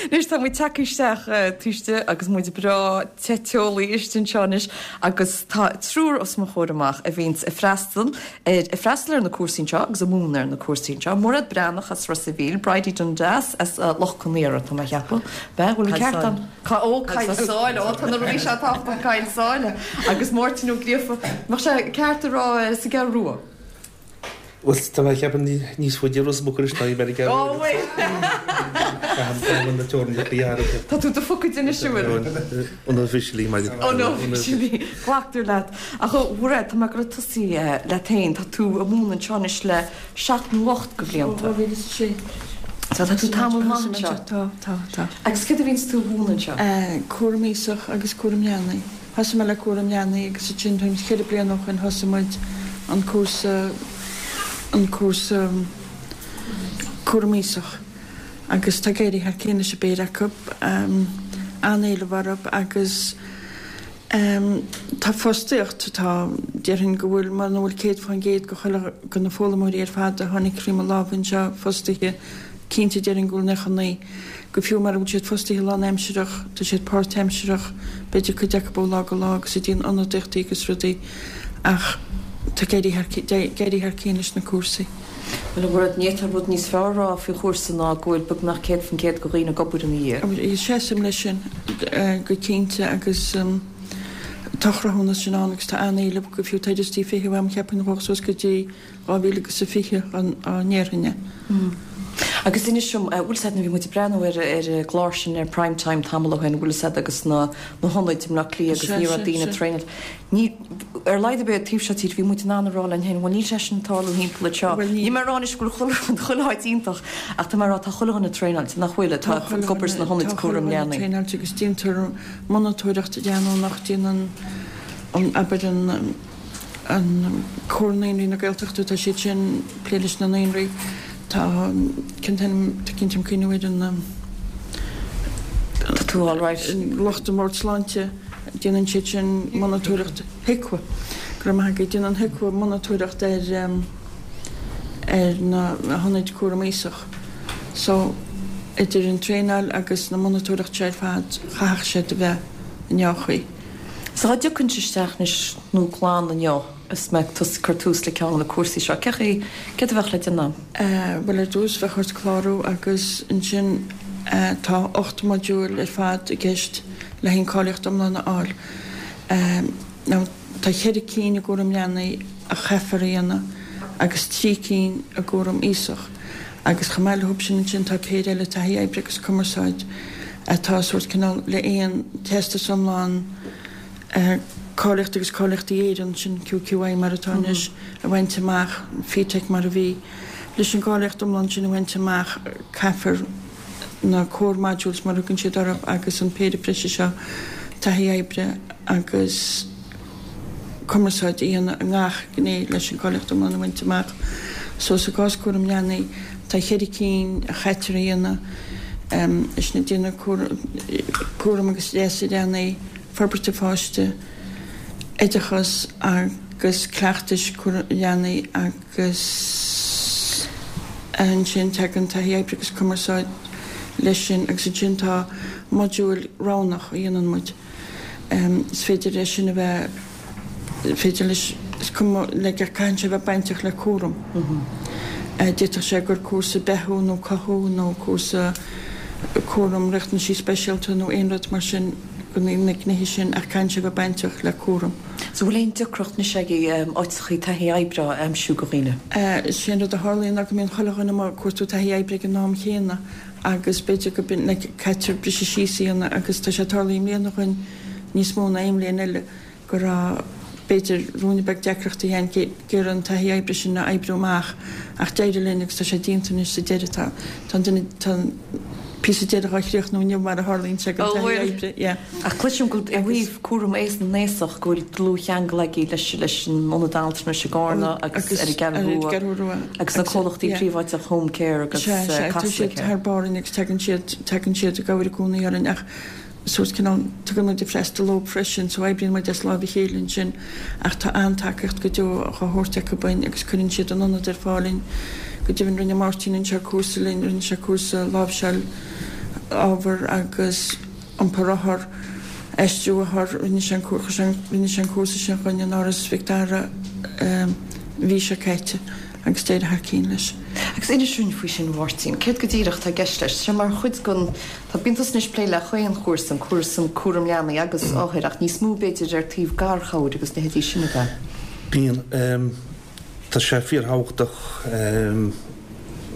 Anois tá muid tagtha isteach taobh istigh agus muid breá te teolaí istigh anseo anois agus tá triúr os mo chomhair amach a bhíonns ag freastal ar ag freastal ar na cúrsaí anseo agus ag múineadh ar na cúrsaí anseo. Mairéad Breathnach as Ros a' Mhíl, Bridie Dundas as Loch Con Aortha, tá mé a cheapadh. Bea, bhfuil an ceart a'm? Ó, Coill Sáile, ó tá na rudaí seo tábhachtach, Coill Sáile. Agus Máirtín Ó Gríofa, mbeadh sé ceart a rá sa gCeathrú Rua. Bhuel, tá mé ag ceapadh níos faide Ros Muc anois ná bhí mé ar an gCeathrú Ó, bhfuil? Caithfidh na teorainneacha a athrú. Tá tú do phocad anois, an bhfuil? Unofficially, mar. Unofficially. Glactar leat. Ach a Mhairéad, tá mé ag goil ag tosaí leat féin. Tá tú ag múineadh anseo anois le seacht nó ocht de bhlianta. Ó 2006. So tá tú tamall maith anseo. Tá, tá, tá. Agus céard a bhíonns tú a mhúineadh anseo? Cúram aosach agus cúram leanaí. Thosaigh mé le cúram leanaí agus ansin tuairim is cheithre bliana ó shoin thosaigh muid an cúrsa, an cúrsa cúram aosach agus tá ag éirí thar cionn leis an bpéire acu, an-éileamh orthu agus tá fostaíocht, tá, déarfainn go bhfuil, muna bhfuil 100% de chuile, de na foghlaimeoirí ar fad a tháinig thrí mo lámha anseo fostaithe, cinnte déarfainn go bhfuil 99. Go fiú mara bhfuil siad fostaithe lánaimsireach, tá siad páirtaimsireach, b'fhéidir cuid acu ó lá go lá agus ag déanamh ionadaíochtaí agus rudaí ach tá ag éirí thar, ag éirí thar cionn leis na cúrsaí. Bhuel, a Mhairéad, ní fhéadfá rud níos fearr a rá faoi chúrsa ná go bhfuil beagnach 100% de dhaoine ag obair ina dhiaidh. Seasaim leis sin go cinnte agus tá cruthúnas sin ann agus tá an-éileamh, go fiú tá liostaí feithimh agam cheapfainn a ghabhfadh suas go dtí 2020 á ndéarfainn é. Agus inis dom, bhfuil 'fhios a'd, nuair a bhí muid ag breathnú ar ar an gclár sin ar Prime Time tamall ó shin, bhfuil 'fhios a'd agus na na hionaid i mBleá Cliath agus ní raibh daoine ag traenáil. Ní, ar a laghad ar bith taobh seo tíre, bhí muid in ann a rá linn féin, bhuel níl sé sin ag tarlú thimpeall anseo. Níl mé ag rá anois go bhfuil chuile rud, chuile áit iontach ach tá mé ag rá tá chuile dhuine traenáilte, nach bhfuil, atá ag obair sna hionaid cúraim leanaí. Tá chuile dhuine traenáilte agus déantar monatóireacht leanúnach, déanann an, abair an, an Comhar Naíonraí na Gaeltachta, tá siad sin ag plé leis na naíonraí, tá cén t-ainm, tá cinnte am cuimhniú ar an Tá tú all right. lucht an Bhord Sláinte, déanann siad sin monatóireacht, HIQA, go raibh maith agat, déanann HIQA monatóireacht ar ar na hionaid cúram aosach. So, idir an traenáil agus na monatóireacht seo ar fad, chaithfeadh sé do bheith i ndea-chaoi. So dá dtiocfainnse isteach anois nó clann inniu is mé ag cur tús le ceann de na cúrsaí seo, cé chaoi, céard a bheadh le déanamh? Bhuel ar dtús bheadh ort clárú agus ansin tá 8 modúl ar fad i gceist le haghaidh an cáilíocht iomlán a fháil. Now tá cheithre cinn i gcúram leanaí a chaithfear a dhéanamh agus trí cinn i gcúram aosach. Agus chomh maith leo sin ansin tá péire eile, taithí oibre agus cumarsáid, atá sórt cineál le aon teastas iomlán cáilíochta agus Cáilíochtaí Éireann, sin QQI mar atá anois, a bhaint amach, FETAC mar a bhí. Leis an gcáilíocht iomlán sin a bhaint amach caithfear na core modules mar a thugann siad orthu agus an péire breise seo, taithí oibre agus. cumarsáid a dhéanamh i ngach gné leis an gcáilíocht iomlán a bhaint amach. So sa gcás cúram leanaí, tá cheithre cinn a chaitear a dhéanamh, is sin déanamh cúram agus leas leanaí, forbairt an pháiste, oideachas agus cleachtais cúram leanaí agus ansin tagann taithí oibre agus cumarsáid leis sin agus ansin tá modúil roghnach a dhéanann muid. Is féidir leis sin a bheith, is féidir leis, is cuma, like, caitheann sé a bheith bainteach le cúram. D'fhéadfadh sé gur cúrsa beathú nó cothú nó cúrsa cúram riachtanaisí speisialta nó aon rud mar sin, na gnéithe sin ach caitheann sé a bheith bainteach le cúram. So bhfuil aon deacracht anois agaibh áiteachaí taithí oibre a aimsiú do dhaoine? Is é an rud a tharlaíonn ná go mbíonn chuile dhuine amuigh ag cuartú taithí oibre ag an am chéanna agus b'fhéidir go b'in like caitear briseadh síos a dhéanamh agus tá sé tarlaithe i mbliana dhúinn níos mó ná aon bhliain eile go raibh b'fhéidir ruainne beag deacrachtaí againn ag iarraidh an taithí oibre sin a oibriú amach ach d'éirigh linn agus tá sé déanta anois sa deireadh tá tá an duine tá an píosa deiridh á chríochnú inniu mar a tharlaíonn sé den taithí oibre yeah. Ach cloisim go i dtaobh cúram aos na n-aosach go bhfuil dlúthcheangal agaibh leis leis an Ionad Altranais i gCarna agus ar an gCeathrú Rua agus na comhlachtaí príobháideach Home Care agus Sea, sea, tá Casla siad Care. thar barr orainn agus tagann siad, tagann siad i gcabhair i gcónaí orainn ach sórt cineál, tugann muid freastal dóibh freisin so oibríonn muid as láimh a chéile ansin ach tá an-tacaíocht go deo á thabhairt acu dúinn agus cuireann siad an ionad ar fáil dúinn. Go deimhin rinne Máirtín anseo cúrsa linn, rinne sé cúrsa láimhseáil. ábhar agus iompar othar, aistriú othar, rinne sé an rinne sé an cúrsa sin dhúinn in Áras Mhic Dara an mhí seo caite agus d'éirigh thar cinn leis. Agus inis dúinn faoi sin Mháirtín, céard go díreach atá i gceist leis? Tá sé mar chuid den, tá, bíonn tusa anois ag plé le chaon chúrsa, an cúrsa um cúram leanaí agus othair ach níos mó b'fhéidir ar taobh garchabhair agus leithéidí sin ab ea? Bíonn. Tá sé fíorthábhachtach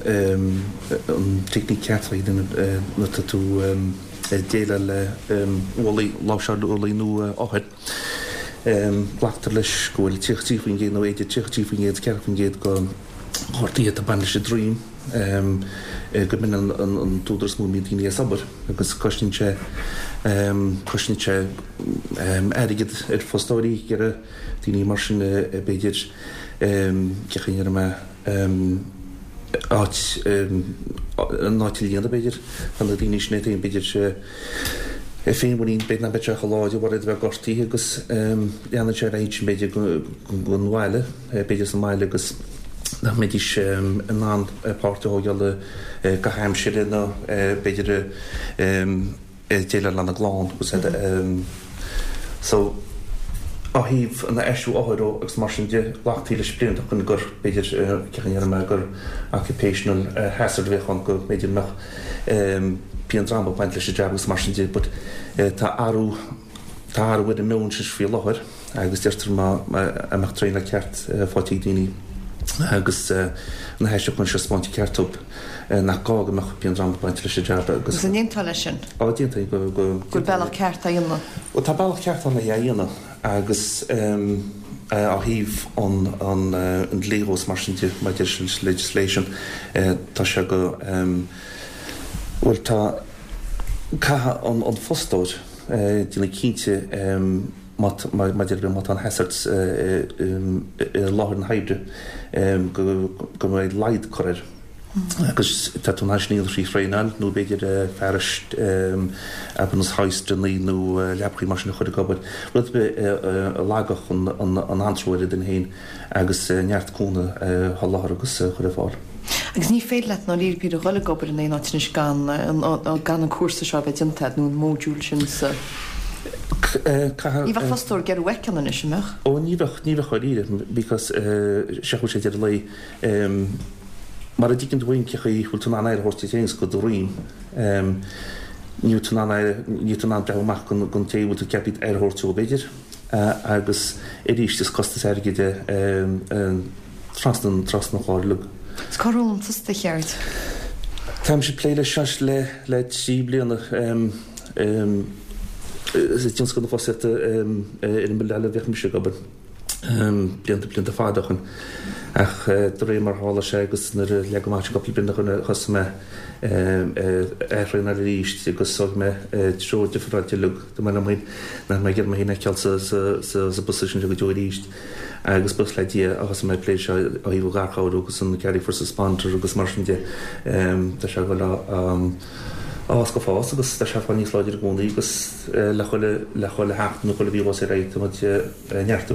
an teicníc ceart a dhéanamh nuair atá tú ag déileáil le ualaí, láimhseáil ualaí nó othair. Glactar leis go bhfuil 33% nó idir 33% 40% de ghortuithe atá ag baint leis an droim, go mb'in an t-údar is mó a mbíonn daoine as obair agus cosnaíonn sé cosnaíonn sé airgead ar fostóirí ag iarraidh daoine mar sin b'fhéidir cén chaoi a ndéarfaidh mé áit an áit a líonadh b'fhéidir tá na daoine sin iad féin b'fhéidir féinmhuinín b'fhéidir nach mbeadh sé chomh láidir mar iad a bheith gortaithe agus leanann sé ar aghaidh sin b'fhéidir don bhaile b'fhéidir sa mbaile agus nach mbeidís in ann páirt a thógáil i gcaitheamh aimsire nó b'fhéidir déileáil lena gclann agus so ó thaobh an aistriú othair ó agus mar sin de ghlactaí leis blianta ó shin gur b'fhéidir cén chaoi a ndéarfaidh mé gur occupational hazard a bheadh ann go mb'fhéidir mbeadh pian droma ag baint leis an jab agus mar sin de but tá athrú tá athrú ar an meon sin faoi láthair. agus deirtear má mbeadh traenáil ceart faighte ag daoine agus na haistriúcháin seo spáinte ceart dóibh nach gá go mbeadh pian droma ag baint leis an jab agus. Agus an aontófá leis sin? Á, d'aontóinn go. Go bhfuil bealach ceart á dhéanamh? Bhuel, tá bealach ceart ann é a dhéanamh agus ó thaobh an dlí dhó is mar sin de maidir leis an legislation tá sé go, bhuel tá, caithfidh an fostóir déanamh cinnte maidir le má tá an hazard i láthair na hoibre go mbeidh laghad curtha air agus tá tú in ann sin a dhéanamh trí thraenáil nó b'fhéidir fearais ar nós hoisteanna nó leapachaí mar sin a chur ag obair, rud ar bith a lagódh an antró ar an duine féin. agus neart cúnamh a sholáthar agus a chur ar fáil. Agus ní féidir leat i ndáiríre píre a dhul ag obair in aon áit anois gan gan an cúrsa seo a bheith déanta agat nó an módúl sin sa. Caithfidh. Ní bheadh fostóir ag iarraidh uait ceann anois, an mbeadh? Ó ní bheadh, ní bheadh dháiríre because sé chuaigh sé deireadh an lae mar a dtuigeann tú féin cén chaoi bhfuil tú in ann aire a thabhairt duit féin is do do dhroim níl tú in ann aire, níl tú in ann breathnú amach don té a bhfuil tú ceaptha aire a thabhairt dó b'fhéidir. Agus arís is costas airgid é trasna an chlár uilig. Is cár fhoghlaim tusa do cheird? Táimse ag plé leis seo le 3 bliana. I dtionscal na fostaíochta ar an mbille eile a bhíodh mise ag obair blianta blianta fada ó shin. Ach de réir mar a tharla sé agus nuair a leagadh amach cúpla bliain ó shin thosaigh mé ag traenáil arís agus thóg mé treo difreáilte uilig. Dúirt mé liom féin nach mbeidh ag iarraidh mé féin a fheiceáil sa bposition seo go deo arís agus buíochas le Dia a thosaigh mé ag plé seo ó thaobh an gharchabhair agus an Caring First Responder agus mar sin de. Tá sé ag dul á fhás go fás agus tá sé ag fáil níos láidre i gcónaí agus le chuile le chuile sheachtain nó chuile mhí dhós ar aghaidh tá muid ag neartú.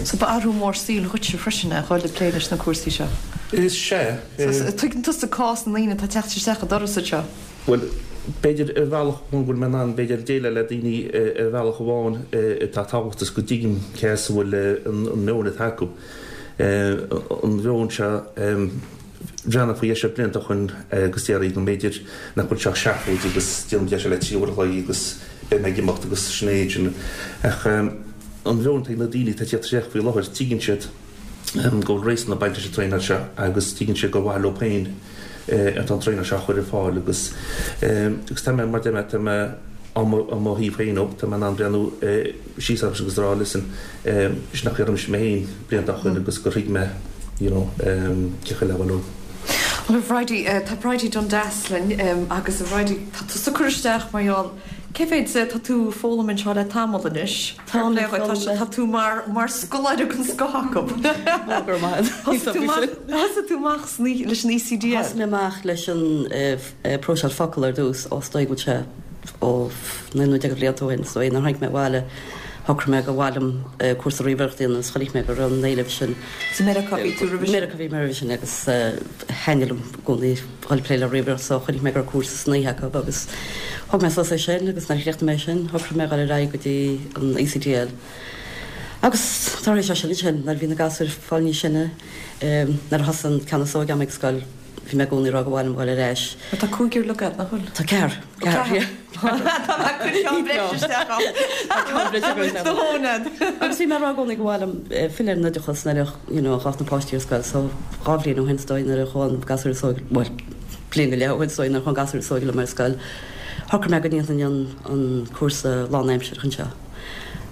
So ba athrú mór saoil dhuitse freisin é dhul ag plé leis na cúrsaí seo? Is ea. So tuigeann tusa cás na ndaoine atá ag teacht isteach an doras anseo? Bhuel, b'fhéidir ar bhealach amháin go bhfuil mé in ann, b'fhéidir, déileáil le daoine ar bhealach amháin atá tábhachtach is go dtuigim cé as a bhfuil an meon atá acu. An mheon seo, bhreathnaigh faoi dheis blianta ó shin agus déarfaí go mb'fhéidir nach bhfuil seo ach seafóid agus déanaim deis le 3 uair a chloig agus beidh mé ag imeacht agus sin é sin. Ach an mheon atá ag na daoine atá ag tíocht isteach faoi láthair, tuigeann siad go bhfuil réasún ag baint leis an traenáil seo agus tuigeann siad gur mhaith leo féin atá an traenáil seo á chur ar fáil agus agus tá mé, mar deir mé, tá mé á mo thaobh féin ó, tá mé in ann breathnú síos orthu agus rá listen, sin nach raibh mise mé féin blianta ó shin agus gur thuig mé you know cén chaoi le déileáil leo. Bhuel a Bhridie, tá Bridie Dundas linn agus a Bhridie, tá tusa ag cur isteach mar gheall, cé mhéad, tá tú ag foghlaim anseo le tamall anois. Tá le tá tú mar mar scoláire den scoth acu. Go raibh maith agat. Thosaigh tú amach leis an ECDL? Thosaigh mé amach leis an próiseáil focal ar dtús, ó is dóigh go bhfuil sé ó 19 nó de bhlianta ó shin, so nuair a tháinig mé abhaile. shocraigh mé gur mhaith liom cúrsa ríomhaireachta a dhéanamh agus chonaic mé go raibh an éileamh sin. I Meiriceá a bhí tú roimhe sin? Meiriceá a bhí mé roimhe sin agus thaitnigh liom i gcónaí dhul ag plé le ríomhaireacht so chonaic mé go raibh cúrsa san oíche acu agus thóg mé suas é sin agus nuair a chríochnaigh mé sin shocraigh mé dhul ar aghaidh go dtí an ECDL. Agus tar éis sin ansin nuair a bhí na gasúir ag fáil níos sine nuair a thosaigh an ceann is óige agam ag scoil bhí mé i gcónaí ag rá gur mhaith liom dhul ar ais. Mar tá cúigear uilig agat, nach bhfuil? Tá ceathrar. Ó ceathrar. Tá mé ag cur ceann breise isteach ann. Tá ceann breise agam isteach. Do thóin agat. Agus bhí mé ag rá i gcónaí gur mhaith liom filleadh ar an oideachas nuair a you know ghabhfadh na páistí ar scoil so dhá bhliain ó shin is dóigh nuair a chuaigh an gasúr is óige, bhuel bliain go leith ó shin is dóigh nuair a chuaigh an gasúr is óige liom ar scoil shocraigh mé go ndéanfainn an an cúrsa lánaimsearach anseo.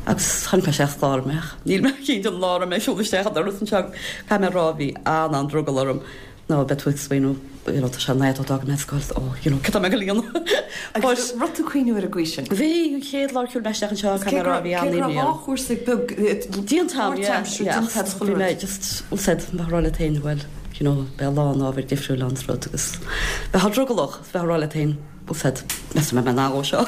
Agus chonaic mé isteach is chláraigh mé ach níl mé cinnte an lá a raibh mé ag siúl isteach an doras anseo caithfidh mé a rá bhí an-an-drogall orm nó beidh tú ag smaoineamh you know tá sé an-fhada ó d'fhág mé an scoil oh you know cad tá mé ag dul a dhéanamh? Agus raibh tú ag cuimhniú ar an gcaoi sin? Bhí, an chéad lá ar shiúil mé isteach anseo caithfidh mé a rá bhí an-imní orm. Cé go raibh dhá chúrsa beag déanta agam yeah yeah ach bhí mé just bhfuil 's a'd bheith ag rá leat féin bhuel you know beidh a lán ábhair difriúil ann is rud agus bheifeá drogallach bheith ag rá leat féin Bhfuil 's a'd, meas tú an mbeidh mé in ann dhó seo.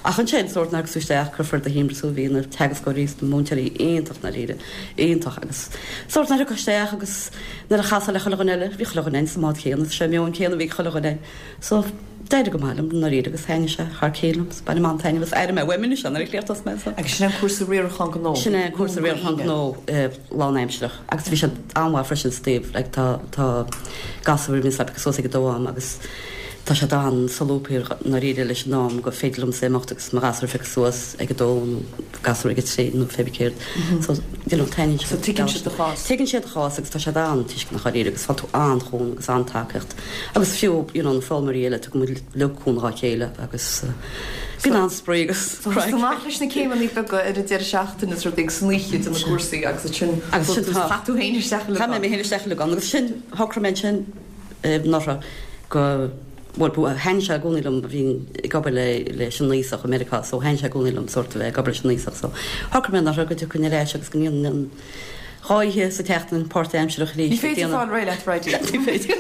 Ach ansin, sórt nuair a thagas tú isteach, cuirfear do thimpeall thú, bhí na teagascóirí is na múinteoirí iontach ndáiríre, iontach agus sórt nuair a thiocfá isteach agus nuair a chasfá le chuile dhuine eile, bhí chuile dhuine sa mbád chéanna, is é an meon céanna a bhí ag chuile dhuine. So, d'éirigh go maith liom ndáiríre agus thaitnigh sé thar cionn liom, so bainim an-taitneamh as, airím uaim anois é nuair a chríochnós mé so. Agus sin é an cúrsa riarachán gnó? Sin é an cúrsa riarachán gnó lánaimsearach agus bhí sé an-mhaith freisin sa taobh, like tá, tá gasúir a bhíonns le piocadh suas ag a dó agam agus, Tá sé an-solúbtha i ndáiríre leis an am gur féidir liomsa imeacht agus mo ghasúr a phiocadh suas ag a dó nó gasúr ag a trí nó pé céard. So, you know, taitníonn sé. So tuigeann siad do chás. Tuigeann siad do chás agus tá siad an-tuisceanach dháiríre agus faigheann tú an-chúnamh agus an-tacaíocht. Agus fiú, you know, na foghlaimeoirí eile, tugann muid uilig cúnamh dhá chéile agus bíonn an-spraoi agus So craic. amach leis na céimeanna beaga ar an deireadh seachtaine is rudaí agus san oíche de na cúrsaí agus ansin Agus sin tá. chaith tú féin isteach uilig Chaith mé mé féin isteach uilig ann agus sin, shocraigh mé ansin, anuraidh go, bhuel, thaitnigh sé i gcónaí liom, bhínn ag obair le, leis an aosach i Meiriceá so thaitnigh sé i gcónaí liom sórt a bheith ag obair leis an aosach so shocraigh mé anuraidh go dtiocfainn ar ais agus go ndéanfainn an dhá oíche sa tseachtain páirtaimsearach arís Ní ag féidir déanamh fáil réidh leat, Bridie. Ní féidir.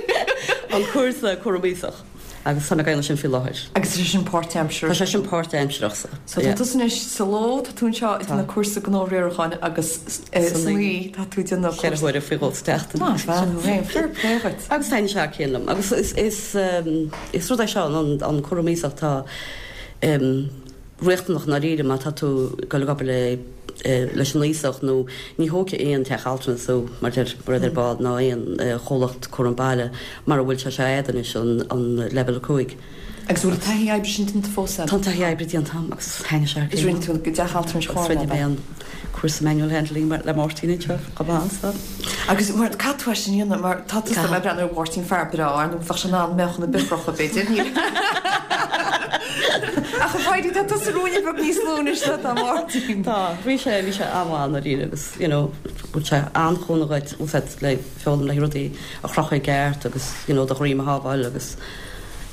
An cúrsa cúram aosach. Agus tá mé ag déanamh sin faoi láthair. Agus tá sé sin páirtaimsearach? Tá sé sin páirtaimsearach so. So tá tusa anois sa ló, tá tú anseo ag déanamh cúrsa gnó riaracháin agus san oíche tá tú ag déanamh cúrsa. Cheithre huaire faoi dhó sa tseachtain. Maith bhean thú féin, fair play dhuit. Agus taitníonn sé thar cionn liom. Agus is is rud é seo an cúram aosach atá riachtanach i ndáiríre má tá tú ag dul ag obair le leis an aosach nó ní thógfaidh aon teach altranais thú mar deir rud ar ball ná aon chomhlacht cúram baile mara bhfuil sé seo a'd anois an leibhéal 5. Agus bhfuil an taithí oibre sin déanta fós a'd? Tá an taithí oibre déanta a'm agus thaitnigh sé thar cionn. Is rinne tú i dteach altranais Agus rinne mé an cúrsa manual handling le Máirtín anseo chomh maith so. Agus mar caithfidh tú é sin a dhéanamh mar tá tusa ag breathnú ar Mháirtín fear breá ar ndóigh bheadh sé in ann meáchan ar bith a chrochadh b'fhéidir níl Ach a Bhridie tá tusa ruainne beag níos lú anois ná tá Máirtín. Tá, bhí sé bhí sé an-mhaith i ndáiríre agus you know bhfuil sé an-chúnamh dhuit úsáid le foghlaim le rudaí a chrochadh i gceart agus you know do dhroim a shábháil agus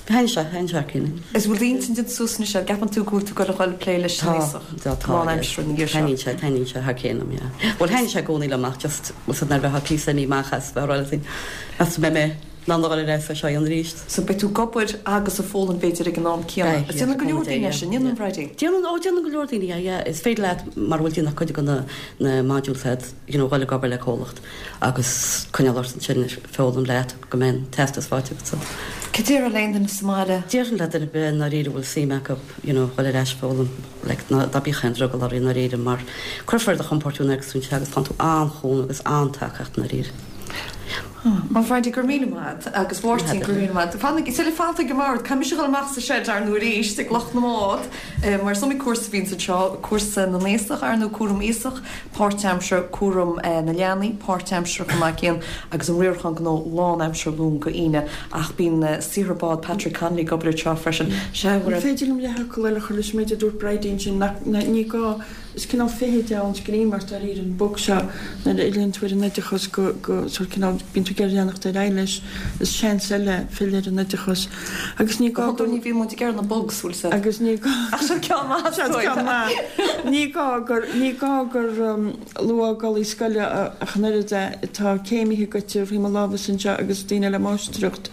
Thaitnigh sé, thaitnigh sé thar cionn. Is bhfuil d'intinn déanta suas anois an gceapann tú go bhfuil tú ag dul a dhul ag plé leis an aosach Tá, tá, lánaimseartha ina dhiaidh seo? Taitníonn sé, taitníonn sé thar cionn liom, yeah. Bhuel, thaitnigh sé i gcónaí liom ach just, bhfuil 's a'd nuair a bheifeá píosa imithe amach as, bheifeá ag rá leat féin, meas tú an mbeidh mé in ann a dhul ar ais é seo a dhéanamh arís? So beidh tú ag obair agus ag foghlaim b'fhéidir ag an am céanna. Beidh, yeah, Déanann go leor daoine é sin, an ndéanann, Bridie? Déanann, ó déanann go leor daoine é, yeah. Is féidir leat, mara bhfuil tú ag déanamh cuid de na, na modules a'd, you know, dhul ag obair le comhlacht agus coinneáil ort ansin ag foghlaim leat go mbeidh an teastas faighte agat so. Cad déarfá le aon duine sa mbaile? Déarfainn le duine ar bith i ndáiríre a bhfuil suim acu you know dhul ar ais ag foghlaim like ná ná bíodh aon drogall orthu i ndáiríre mar cuirfear ar do chompord thú nuair a thiocfas tú anseo agus faigheann tú an-chúnamh agus an-tacaíocht i ndáiríre. Bhuel a Bhridie, go raibh míle maith agat agus Mháirtín, go raibh míle maith agat. Fanaigí, sula fanann tú ag an mbord, caithfidh mise a dhul amach sa seid ar ndóigh arís ag lucht na mbád mar is iomaí cúrsa a bhíonns anseo, cúrsa na n-aosach ar ndóigh, cúram aosach, páirtaimseartha, cúram na leanaí, páirtaimseartha chomh maith céanna, agus an riarachán gnó lánaimseartha Luan go hAoine. Ach bíonn saothar bád Patrick Connolly ag obair anseo freisin. Sea, An féidir liom leathfhocal eile a chur leis an méid a dúirt Bridie ansin, nach, ní gá, Is cineál feithid é an scream ort dáiríre, an bug seo, nuair a fhilleann tú ar an oideachas go, go, sórt cineál, bíonn tú ag iarraidh leanacht ar aghaidh leis, is seans eile filleadh ar an oideachas. Agus ní gá go. Ní bhíonn muid ag iarraidh na bugs, bhfuil 's a'd. Agus ní gá. Ach seo ceann maith Seo ceann maith. Ní gá gur, ní gá gur luathfhágálaí scoile ach an oiread é. Tá céimithe goite faoi mo lámhsa anseo agus daoine le máistreacht.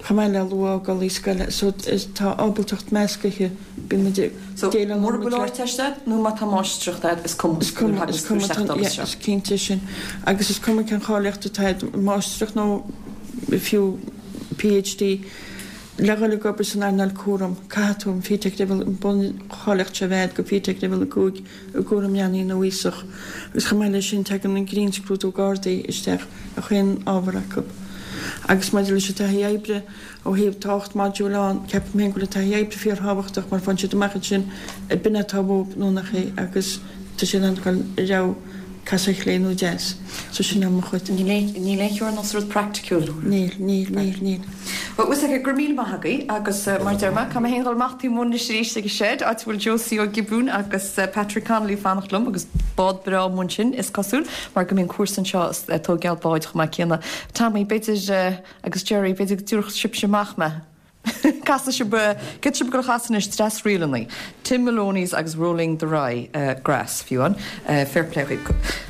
Chomh maith le luathfhágálaí scoile so tá ábaltacht meascaithe, bíonn muid ag So déileáil mura bhfuil Ardteist agat nó má tá máistreacht agat is cuma Is cuma, is cuma, tá, yeah, is cinnte sin. Agus is cuma cén cháilíocht atá agat, máistreacht nó fiú PhD, le dhul ag obair san earnáil cúraim, caithfidh tú an FETAC leibhéal, an buncháilíocht seo a bheith agat go FETAC leibhéal 5 i gcúram leanaí nó aosach. Agus chomh maith leis sin tagann an grinnscrúdú Gardaí isteach i chaon ábhar acu. Agus maidir leis an taithí oibre, ó thaobh tá 8 modúl ann, ceapaim féin go bhfuil an taithí oibre fíorthábhachtach mar faigheann siad amach ansin ab in atá uathu nó nach é agus tá siad in ann dul i rogha casadh chlé nó deas. So sin é mo chuid. Níl aon, níl aon theorainn ós rud praiticiúil. Níl, níl, níl, níl. Bhuel, bhfuil a fhios agat, go raibh míle maith agaibh agus mar a deir mé, caithfidh mé féin dhul amach taobh amuigh anois arís ag an shed, áit a bhfuil Josie Ó Giobúin agus Patrick Connolly ag fanacht liom agus bád breá amuigh ansin, is cosúil, mar go mbíonn cúrsa anseo ag tóigeáil báid chomh maith céanna. Tommy, b'fhéidir, agus Jerry, b'fhéidir go dtabharfadh sibhse amach mé. Casfaidh sibh, céard tá sibh ag dul a chasadh anois, dreas ríleanna, Tim Maloney's agus Rolling the Rye Grass, fiú amháin. Fair play dhaoibh.